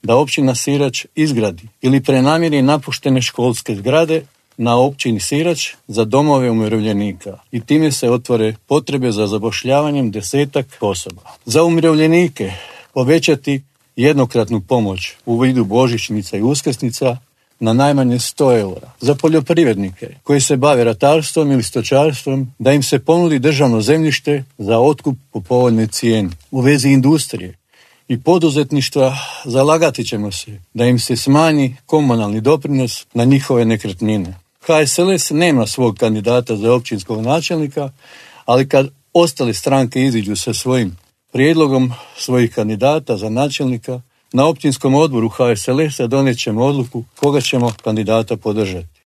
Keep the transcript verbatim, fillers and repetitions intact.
da općina Sirač izgradi ili prenamjeri napuštene školske zgrade na općini Sirač za domove umirovljenika i time se otvore potrebe za zapošljavanjem desetak osoba. Za umirovljenike povećati jednokratnu pomoć u vidu božićnica i uskrsnica na najmanje sto eura. Za poljoprivrednike koji se bave ratarstvom ili stočarstvom da im se ponudi državno zemljište za otkup po povoljnoj cijeni. U vezi industrije i poduzetništva zalagati ćemo se da im se smanji komunalni doprinos na njihove nekretnine. H S L S nema svog kandidata za općinskog načelnika, ali kad ostale stranke iziđu sa svojim prijedlogom svojih kandidata za načelnika, na općinskom odboru H S L S-a donijet ćemo odluku koga ćemo kandidata podržati.